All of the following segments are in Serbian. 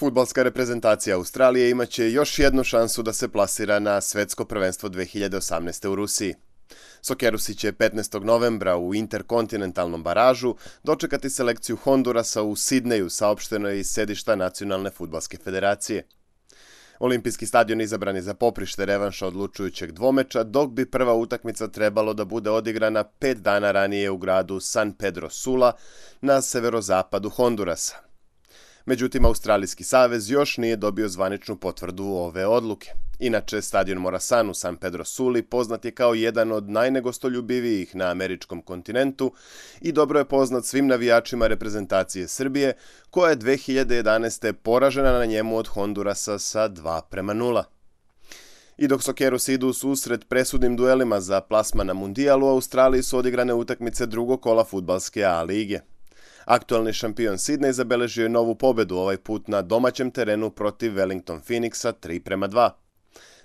Fudbalska reprezentacija Australije imaće još jednu šansu da se plasira na svetsko prvenstvo 2018. u Rusiji. Sokerusi će 15. novembra u interkontinentalnom baražu dočekati selekciju Hondurasa u Sidneju, saopšteno je iz sedišta Nacionalne fudbalske federacije. Olimpijski stadion izabran je za poprište revanša odlučujućeg dvomeča, dok bi prva utakmica trebalo da bude odigrana 5 dana ranije u gradu San Pedro Sula na severozapadu Hondurasa. Međutim, Australijski savez još nije dobio zvaničnu potvrdu ove odluke. Inače, stadion Morasan u San Pedro Suli poznat je kao jedan od najnegostoljubivijih na američkom kontinentu i dobro je poznat svim navijačima reprezentacije Srbije, koja je 2011. poražena na njemu od Hondurasa sa 2:0. I dok Sokerusi idu u susret presudnim duelima za plasman na Mundijal, u Australiji su odigrane utakmice drugog kola fudbalske A lige. Aktualni šampion Sidnej zabeležio je novu pobedu, ovaj put na domaćem terenu protiv Wellington Phoenixa 3:2.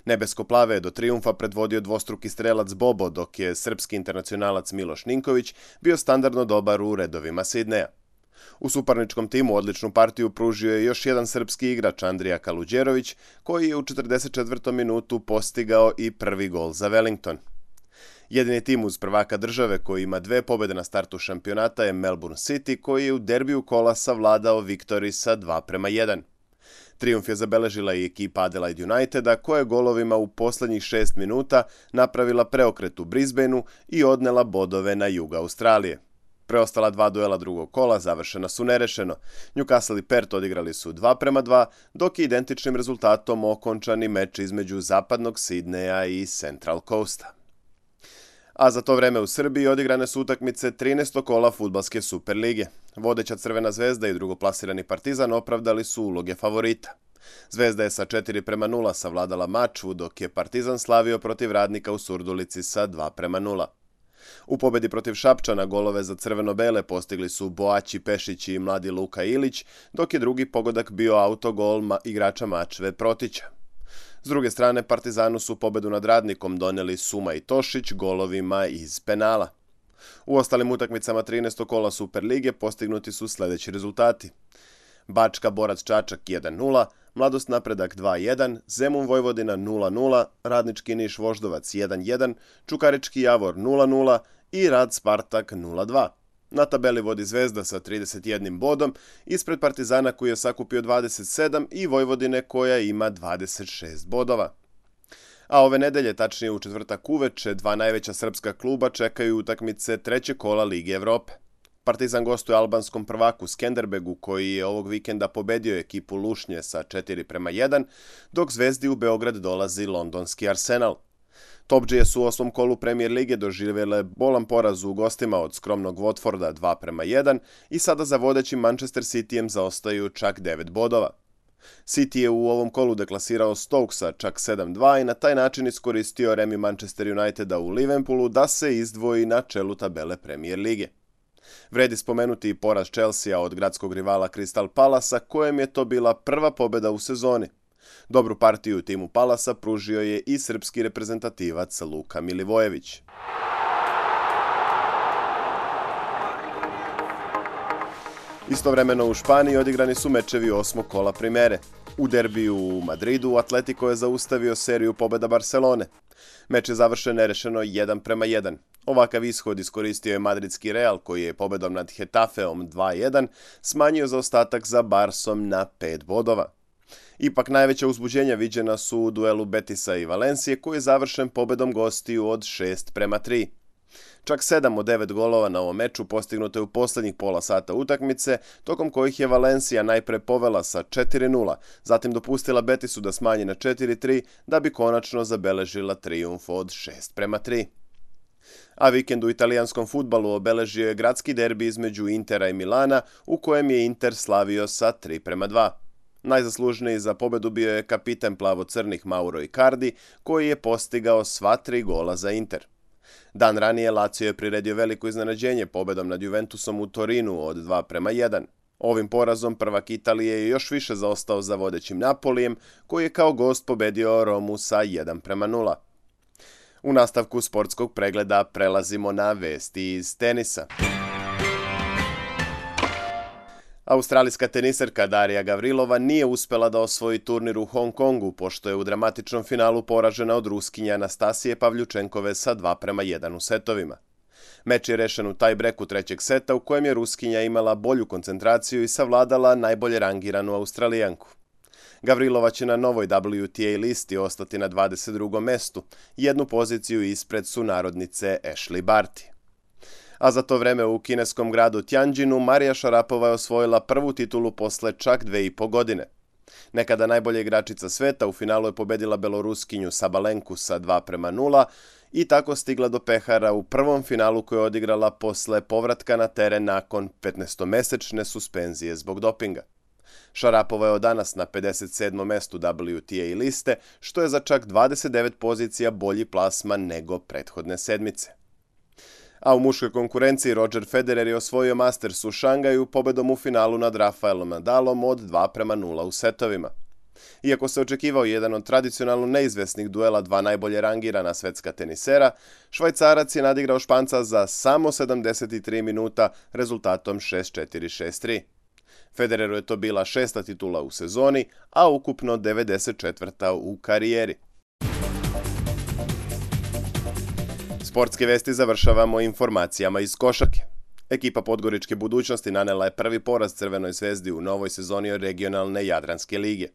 Nebesko-plave je do trijumfa predvodio dvostruki strelac Bobo, dok je srpski internacionalac Miloš Ninković bio standardno dobar u redovima Sidneja. U suparničkom timu odličnu partiju pružio je još jedan srpski igrač Andrija Kaluđerović, koji je u 44. minutu postigao i prvi gol za Wellington. Jedini tim uz prvaka države koji ima 2 pobjede na startu šampionata je Melbourne City, koji je u derbiju kola savladao Victory sa 2:1. Trijumf je zabeležila i ekipa Adelaide Uniteda, koja je golovima u posljednjih 6 minuta napravila preokret u Brisbaneu i odnela bodove na jug Australije. Preostala 2 duela drugog kola završena su nerešeno. Newcastle i Perth odigrali su 2:2, dok je identičnim rezultatom okončani meč između zapadnog Sidneja i Central Coasta. A za to vreme u Srbiji odigrane su utakmice 13. kola fudbalske Super lige. Vodeća Crvena zvezda i drugoplasirani Partizan opravdali su uloge favorita. Zvezda je sa 4:0 savladala Mačvu, dok je Partizan slavio protiv Radnika u Surdulici sa 2:0. U pobedi protiv Šapčana golove za crveno-bele postigli su Boaći Pešić i mladi Luka Ilić, dok je drugi pogodak bio autogol igrača Mačve Protića. S druge strane, Partizanu su pobedu nad Radnikom doneli Suma i Tošić golovima iz penala. U ostalim utakmicama 13. kola Super lige postignuti su sljedeći rezultati: Bačka Borac Čačak 1:0, Mladost Napredak 2:1, Zemun Vojvodina 0:0, Radnički Niš Voždovac 1:1, Čukarički Javor 0:0 i Rad Spartak 0:2. Na tabeli vodi Zvezda sa 31 bodom, ispred Partizana koji je sakupio 27 i Vojvodine koja ima 26 bodova. A ove nedelje, tačnije u četvrtak uveče, 2 najveća srpska kluba čekaju utakmice trećeg kola Lige Evrope. Partizan gostuje albanskom prvaku Skenderbegu, koji je ovog vikenda pobedio ekipu Lušnje sa 4:1, dok Zvezdi u Beograd dolazi londonski Arsenal. Topdžije su u 8. kolu Premier lige doživjele bolan poraz u gostima od skromnog Watforda 2:1 i sada za vodećim Manchester Cityjem zaostaju čak 9 bodova. City je u ovom kolu deklasirao Stokesa čak 7:2 i na taj način iskoristio remi Manchester Uniteda u Liverpoolu da se izdvoji na čelu tabele Premier lige. Vredi spomenuti i poraz Chelsea od gradskog rivala Crystal Palasa, kojem je to bila prva pobjeda u sezoni. Dobru partiju timu Palasa pružio je i srpski reprezentativac Luka Milivojević. Istovremeno u Španiji odigrani su mečevi 8. kola Primere. U derbiju u Madridu Atletico je zaustavio seriju pobjeda Barcelone. Meč je završen nerešeno 1:1. Ovakav ishod iskoristio je madridski Real, koji je pobedom nad Getafeom 2:1 smanjio zaostatak za Barsom na 5 bodova. Ipak najveća uzbuđenja viđena su u duelu Betisa i Valencije, koji je završen pobedom gostiju od 6:3. Čak 7 od 9 golova na ovom meču postignuto je u posljednjih pola sata utakmice, tokom kojih je Valencija najpre povela sa 4:0, zatim dopustila Betisu da smanji na 4:3, da bi konačno zabeležila trijumf od 6:3. A vikend u italijanskom fudbalu obeležio je gradski derbi između Intera i Milana, u kojem je Inter slavio sa 3:2. Najzaslužniji za pobedu bio je kapiten plavo-crnih Mauro Icardi, koji je postigao sva 3 gola za Inter. Dan ranije Lazio je priredio veliko iznenađenje pobedom nad Juventusom u Torinu od 2:1. Ovim porazom prvak Italije je još više zaostao za vodećim Napolijem, koji je kao gost pobedio Romu sa 1:0. U nastavku sportskog pregleda prelazimo na vesti iz tenisa. Australijska teniserka Darija Gavrilova nije uspela da osvoji turnir u Hong Kongu, pošto je u dramatičnom finalu poražena od Ruskinje Anastasije Pavljučenkove sa 2:1 u setovima. Meč je rešen u taj-breku trećeg seta u kojem je Ruskinja imala bolju koncentraciju i savladala najbolje rangiranu Australijanku. Gavrilova će na novoj WTA listi ostati na 22. mestu, jednu poziciju ispred sunarodnice Ashleigh Barty. A za to vreme u kineskom gradu Tianjinu Marija Šarapova je osvojila prvu titulu posle čak 2,5 godine. Nekada najbolja igračica sveta u finalu je pobedila Beloruskinju Sabalenku sa 2:0 i tako stigla do pehara u prvom finalu koju je odigrala posle povratka na teren nakon 15-mesečne suspenzije zbog dopinga. Šarapova je od danas na 57. mestu WTA liste, što je za čak 29 pozicija bolji plasman nego prethodne sedmice. A u muškoj konkurenciji Roger Federer je osvojio Masters u Šangaju pobedom u finalu nad Rafaelom Nadalom od 2:0 u setovima. Iako se očekivao jedan od tradicionalno neizvesnih duela dva najbolje rangirana svetska tenisera, Švajcarac je nadigrao Španca za samo 73 minuta rezultatom 6:4, 6:3. Federeru je to bila 6. titula u sezoni, a ukupno 94. u karijeri. Sportske vesti završavamo informacijama iz košarke. Ekipa Podgoričke budućnosti nanela je prvi poraz Crvenoj zvezdi u novoj sezoni regionalne Jadranske lige.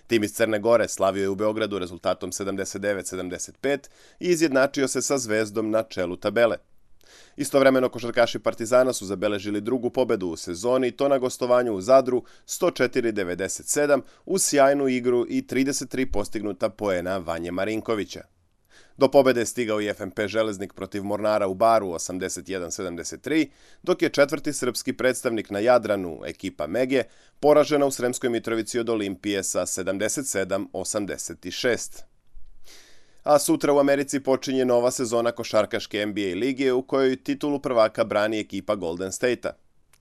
Tim iz Crne Gore slavio je u Beogradu rezultatom 79-75 i izjednačio se sa Zvezdom na čelu tabele. Istovremeno košarkaši Partizana su zabeležili drugu pobedu u sezoni i to na gostovanju u Zadru 104-97 uz sjajnu igru i 33 postignuta poena Vanje Marinkovića. Do pobede je stigao i FNP Železnik protiv Mornara u Baru 81-73, dok je četvrti srpski predstavnik na Jadranu, ekipa Mege, poražena u Sremskoj Mitrovici od Olimpije sa 77-86. A sutra u Americi počinje nova sezona košarkaške NBA lige u kojoj titulu prvaka brani ekipa Golden State-a.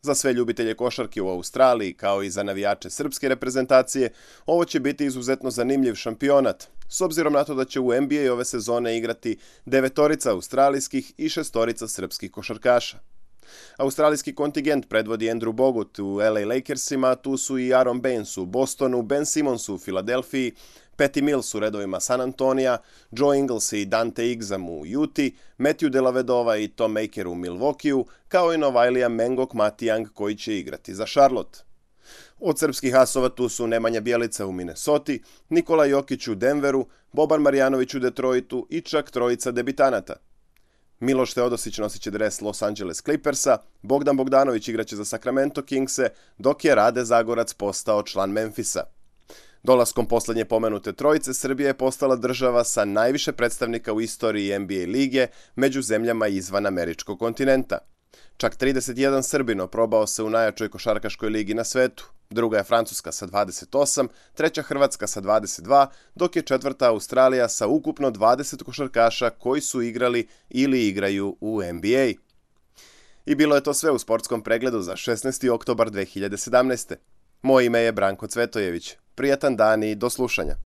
Za sve ljubitelje košarke u Australiji, kao i za navijače srpske reprezentacije, ovo će biti izuzetno zanimljiv šampionat, s obzirom na to da će u NBA ove sezone igrati 9 australijskih i 6 srpskih košarkaša. Australijski kontingent predvodi Andrew Bogut u LA Lakersima, tu su i Aaron Baines u Bostonu, Ben Simmons u Filadelfiji, Patty Mills u redovima San Antonija, Joe Ingles i Dante Exum u Uti, Matthew Dellavedova i Tom Maker u Milwaukeeu, kao i Novajlija Mengok Matijang koji će igrati za Charlotte. Od srpskih asova tu su Nemanja Bjelica u Minnesoti, Nikola Jokić u Denveru, Boban Marjanović u Detroitu i čak trojica debitanata. Miloš Teodosić nosit će dres Los Angeles Clippersa, Bogdan Bogdanović igraće za Sacramento Kingse, dok je Rade Zagorac postao član Memfisa. Dolaskom poslednje pomenute trojice, Srbija je postala država sa najviše predstavnika u istoriji NBA lige među zemljama izvan američkog kontinenta. Čak 31 Srbin probao se u najjačoj košarkaškoj ligi na svetu. Druga je Francuska sa 28, treća Hrvatska sa 22, dok je četvrta Australija sa ukupno 20 košarkaša koji su igrali ili igraju u NBA. I bilo je to sve u sportskom pregledu za 16. oktobar 2017. Moje ime je Branko Cvetojević. Prijatan dan i do slušanja.